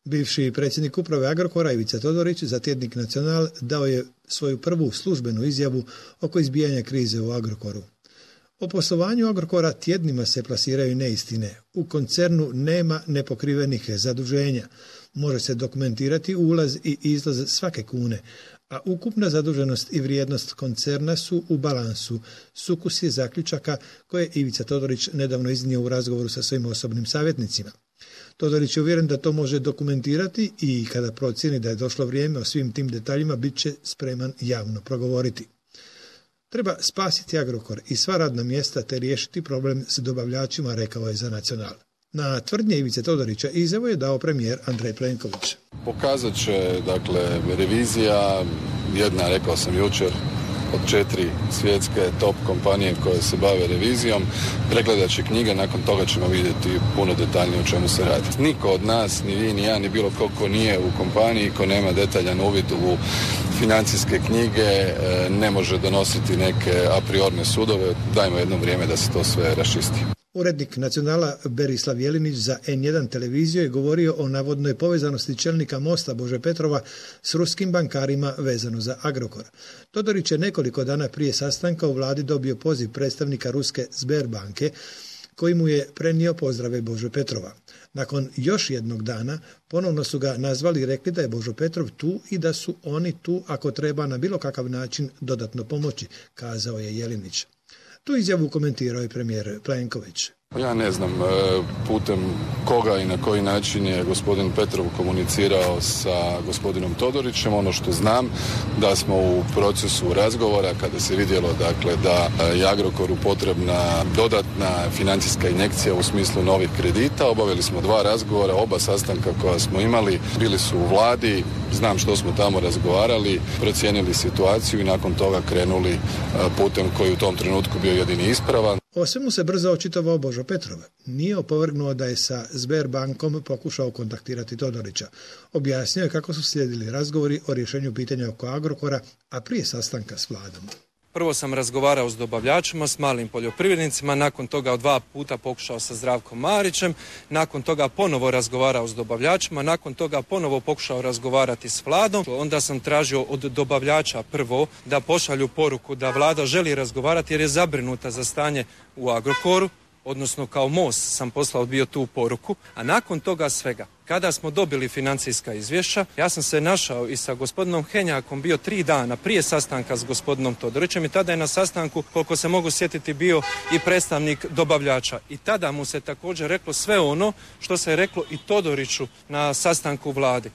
Bivši predsjednik uprave Agrokora Ivica Todorić za tjednik Nacional dao je svoju prvu službenu izjavu oko izbijanja krize u Agrokoru. O poslovanju Agrokora tjednima se plasiraju neistine. U koncernu nema nepokrivenih zaduženja. Može se dokumentirati ulaz i izlaz svake kune, a ukupna zaduženost i vrijednost koncerna su u balansu. Sukus je zaključaka koje je Ivica Todorić nedavno iznio u razgovoru sa svojim osobnim savjetnicima. Todorić je uvjeren da to može dokumentirati i kada procijeni da je došlo vrijeme o svim tim detaljima bit će spreman javno progovoriti. Treba spasiti Agrokor i sva radna mjesta te riješiti problem s dobavljačima, rekao je za Nacional. Na tvrdnje Ivice Todorića izjavu je dao premijer Andrej Plenković. Pokazat će, revizija, jedna, rekao sam jučer, od 4 svjetske top kompanije koje se bave revizijom, pregledat će knjige, nakon toga ćemo vidjeti puno detaljnije o čemu se radi. Niko od nas, ni vi, ni ja, ni bilo ko nije u kompaniji, ko nema detaljan uvid u financijske knjige, ne može donositi neke a priorne sudove. Dajmo jedno vrijeme da se to sve raščisti. Urednik Nacionala Berislav Jelinić za N1 televiziju je govorio o navodnoj povezanosti čelnika Mosta Bože Petrova s ruskim bankarima vezano za Agrokor. Todorić je nekoliko dana prije sastanka u vladi dobio poziv predstavnika ruske Sberbanke koji mu je prenio pozdrave Bože Petrova. Nakon još jednog dana ponovno su ga nazvali i rekli da je Božo Petrov tu i da su oni tu ako treba na bilo kakav način dodatno pomoći, kazao je Jelinić. Tu izjavu komentirao je premijer Plenković. Ja ne znam putem koga i na koji način je gospodin Petrov komunicirao sa gospodinom Todorićem. Ono što znam da smo u procesu razgovora kada se vidjelo da je Agrokoru potrebna dodatna financijska injekcija u smislu novih kredita. Obavili smo 2 razgovora, oba sastanka koja smo imali bili su u vladi. Znam što smo tamo razgovarali, procijenili situaciju i nakon toga krenuli putem koji u tom trenutku bio jedini ispravan. O svemu se brzo očitovao Božo Petrov. Nije opovrgnuo da je sa Sberbankom pokušao kontaktirati Todorića. Objasnio je kako su slijedili razgovori o rješenju pitanja oko Agrokora, a prije sastanka s vladom. Prvo sam razgovarao s dobavljačima, s malim poljoprivrednicima, nakon toga 2 puta pokušao sa Zdravkom Marićem, nakon toga ponovo razgovarao s dobavljačima, nakon toga ponovo pokušao razgovarati s vladom. Onda sam tražio od dobavljača prvo da pošalju poruku da vlada želi razgovarati jer je zabrinuta za stanje u Agrokoru, odnosno kao Most sam poslao bio tu poruku, a nakon toga svega, kada smo dobili financijska izvješća, ja sam se našao i sa gospodinom Henjakom bio 3 dana prije sastanka s gospodinom Todorićem i tada je na sastanku, koliko se mogu sjetiti, bio i predstavnik dobavljača. I tada mu se također reklo sve ono što se je reklo i Todoriću na sastanku vlade.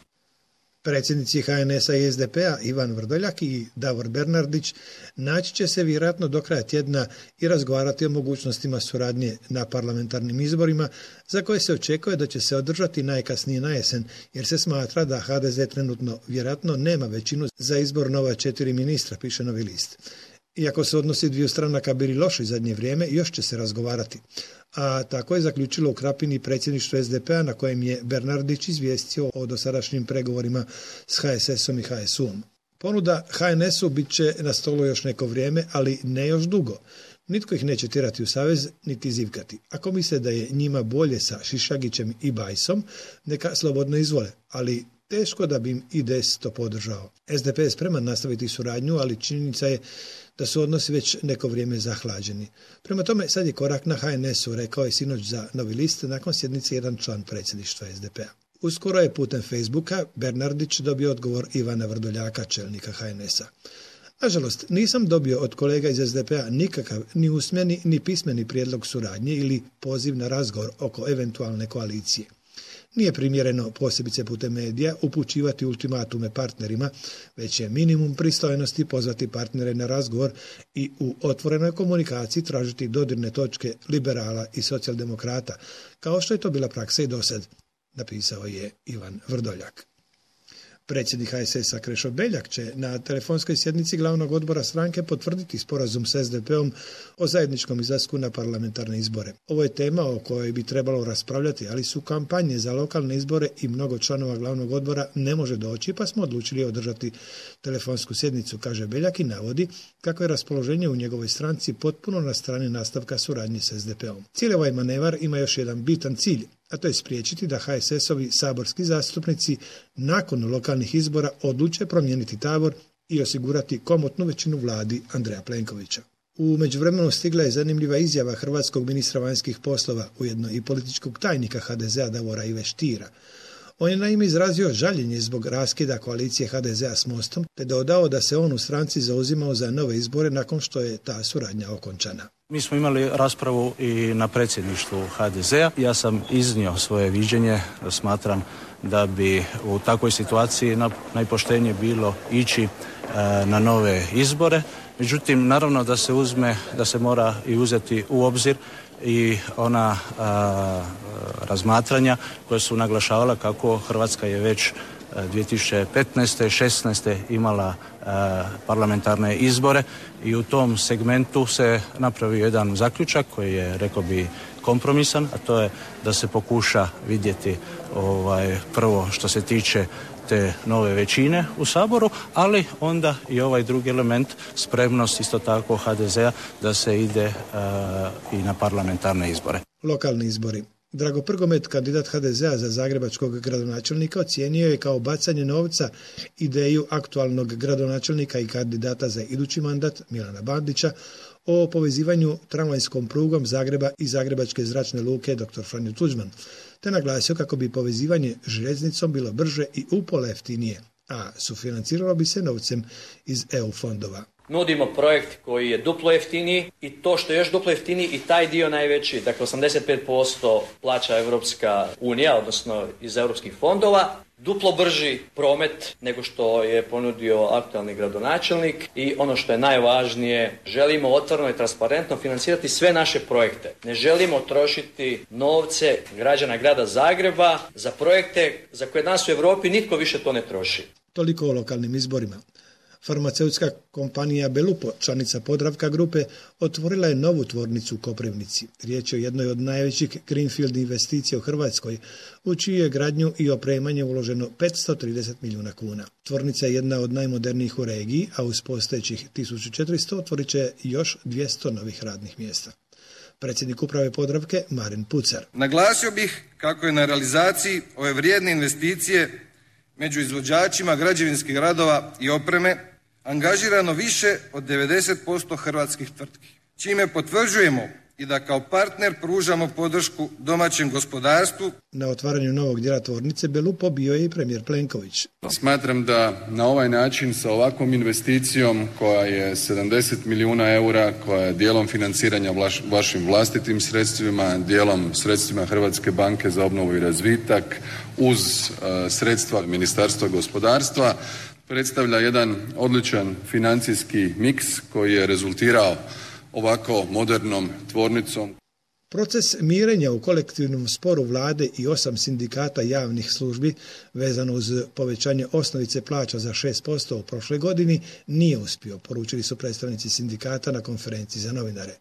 Predsjednici HNS-a i SDP-a Ivan Vrdoljak i Davor Bernardić naći će se vjerojatno do kraja tjedna i razgovarati o mogućnostima suradnje na parlamentarnim izborima za koje se očekuje da će se održati najkasnije na jesen, jer se smatra da HDZ trenutno vjerojatno nema većinu za izbor nova 4 ministra, piše Novi list. Iako se odnosi dviju stranaka bili loši zadnje vrijeme, još će se razgovarati. A tako je zaključilo u Krapini predsjedništvo SDP-a na kojem je Bernardić izvijestio o dosadašnjim pregovorima s HSS-om i HSU-om. Ponuda HNS-u bit će na stolu još neko vrijeme, ali ne još dugo. Nitko ih neće tjerati u savez, niti zivkati. Ako misle da je njima bolje sa Šišagićem i Bajsom, neka slobodno izvole, ali teško da bi im IDS to podržao. SDP je spreman nastaviti suradnju, ali činjenica je da su odnosi već neko vrijeme zahlađeni. Prema tome, sad je korak na HNS-u, rekao je sinoć za Novi list nakon sjednice jedan član predsjedništva SDP-a. Uskoro je putem Facebooka Bernardić dobio odgovor Ivana Vrdoljaka, čelnika HNS-a. Nažalost, nisam dobio od kolega iz SDP-a nikakav ni usmeni ni pismeni prijedlog suradnje ili poziv na razgovor oko eventualne koalicije. Nije primjereno, posebice putem medija, upućivati ultimatume partnerima, već je minimum pristojnosti pozvati partnere na razgovor i u otvorenoj komunikaciji tražiti dodirne točke liberala i socijaldemokrata, kao što je to bila praksa i dosad, napisao je Ivan Vrdoljak. Predsjednik HSS-a Krešo Beljak će na telefonskoj sjednici glavnog odbora stranke potvrditi sporazum s SDP-om o zajedničkom izlasku na parlamentarne izbore. Ovo je tema o kojoj bi trebalo raspravljati, ali su kampanje za lokalne izbore i mnogo članova glavnog odbora ne može doći, pa smo odlučili održati telefonsku sjednicu, kaže Beljak i navodi kako je raspoloženje u njegovoj stranci potpuno na strani nastavka suradnje s SDP-om. Cijeli ovaj manevar ima još jedan bitan cilj, a to je spriječiti da HSS-ovi saborski zastupnici nakon lokalnih izbora odluče promijeniti tabor i osigurati komotnu većinu vladi Andreja Plenkovića. U međuvremenu stigla je zanimljiva izjava hrvatskog ministra vanjskih poslova, ujedno i političkog tajnika HDZ-a Davora Ive Stiera. On je naime izrazio žaljenje zbog raskida koalicije HDZ-a s Mostom, te dodao da se on u stranci zauzimao za nove izbore nakon što je ta suradnja okončana. Mi smo imali raspravu i na predsjedništvu HDZ-a. Ja sam iznio svoje viđenje. Smatram da bi u takvoj situaciji najpoštenije bilo ići na nove izbore. Međutim, naravno da se mora i uzeti u obzir i ona razmatranja koja su naglašavala kako Hrvatska je već 2015. 16. imala parlamentarne izbore i u tom segmentu se napravio jedan zaključak koji je, rekao bi, kompromisan, a to je da se pokuša vidjeti prvo što se tiče te nove većine u Saboru, ali onda i ovaj drugi element, spremnost isto tako HDZ-a da se ide i na parlamentarne izbore. Lokalni izbori. Drago Prgomet, kandidat HDZ-a za zagrebačkog gradonačelnika, ocijenio je kao bacanje novca ideju aktualnog gradonačelnika i kandidata za idući mandat Milana Bandića o povezivanju tramvajskom prugom Zagreba i Zagrebačke zračne luke Dr. Franjo Tuđman, te naglasio kako bi povezivanje željeznicom bilo brže i upola jeftinije, a sufinanciralo bi se novcem iz EU fondova. Nudimo projekt koji je duplo jeftiniji i to što je još duplo jeftiniji i taj dio najveći, dakle 85% plaća Europska unija, odnosno iz europskih fondova, duplo brži promet nego što je ponudio aktualni gradonačelnik i ono što je najvažnije, želimo otvoreno i transparentno financirati sve naše projekte. Ne želimo trošiti novce građana grada Zagreba za projekte za koje danas u Europi nitko više to ne troši. Toliko o lokalnim izborima. Farmaceutska kompanija Belupo, članica Podravka grupe, otvorila je novu tvornicu u Koprivnici. Riječ je o jednoj od najvećih greenfield investicija u Hrvatskoj, u čiju je gradnju i opremanje uloženo 530 milijuna kuna. Tvornica je jedna od najmodernijih u regiji, a uz postojećih 1400 otvorit će još 200 novih radnih mjesta. Predsjednik uprave Podravke Marin Pucar. Naglasio bih kako je na realizaciji ove vrijedne investicije među izvođačima građevinskih radova i opreme angažirano više od 90% hrvatskih tvrtki, čime potvrđujemo i da kao partner pružamo podršku domaćem gospodarstvu. Na otvaranju novog dijela tvornice Belupo bio je i premijer Plenković. Smatram da na ovaj način sa ovakvom investicijom koja je 70 milijuna eura, koja je dijelom financiranja vašim vlastitim sredstvima, dijelom sredstvima Hrvatske banke za obnovu i razvitak, uz sredstva Ministarstva gospodarstva, predstavlja jedan odličan financijski miks koji je rezultirao ovako modernom tvornicom. Proces mirenja u kolektivnom sporu vlade i 8 sindikata javnih službi vezano uz povećanje osnovice plaća za 6% u prošloj godini nije uspio, poručili su predstavnici sindikata na konferenciji za novinare.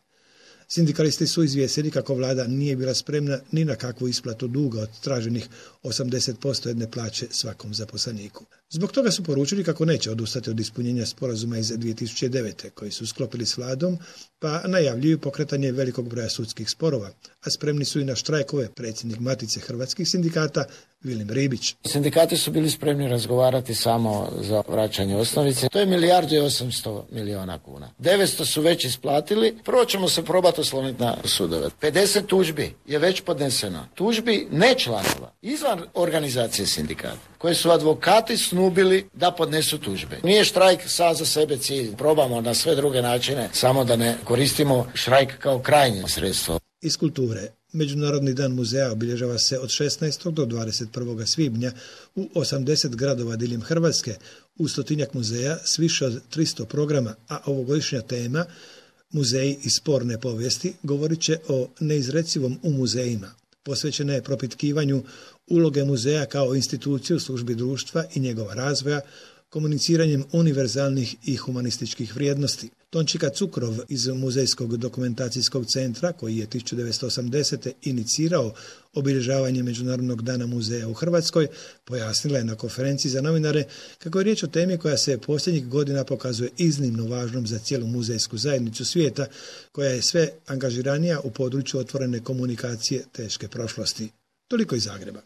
Sindikalisti su izvijestili kako vlada nije bila spremna ni na kakvu isplatu duga od traženih 80% jedne plaće svakom zaposleniku. Zbog toga su poručili kako neće odustati od ispunjenja sporazuma iz 2009. koji su sklopili s vladom, pa najavljuju pokretanje velikog broja sudskih sporova, a spremni su i na štrajkove. Predsjednik Matice hrvatskih sindikata Vilim Ribić. Sindikati su bili spremni razgovarati samo za vraćanje osnovice. To je 1.800 milijuna kuna. 900 su već isplatili. Prvo ćemo se probati osloniti na sudove. 50 tužbi je već podneseno. Tužbi ne članova, izvan organizacije sindikata, koje su advokati snubili da podnesu tužbe. Nije štrajk sam za sebe cilj. Probamo na sve druge načine, samo da ne koristimo štrajk kao krajnje sredstvo. Iz kulture. Međunarodni dan muzeja obilježava se od 16. do 21. svibnja u 80 gradova diljem Hrvatske, u 100-tinjak muzeja s više od 300 programa, a ovogodišnja tema Muzeji i sporne povijesti govorit će o neizrecivom u muzejima. Posvećena je propitkivanju uloge muzeja kao instituciju u službi društva i njegova razvoja, komuniciranjem univerzalnih i humanističkih vrijednosti. Tončika Cukrov iz Muzejskog dokumentacijskog centra, koji je 1980. inicirao obilježavanje Međunarodnog dana muzeja u Hrvatskoj, pojasnila je na konferenciji za novinare kako je riječ o temi koja se posljednjih godina pokazuje iznimno važnom za cijelu muzejsku zajednicu svijeta, koja je sve angažiranija u području otvorene komunikacije teške prošlosti. Toliko iz Zagreba.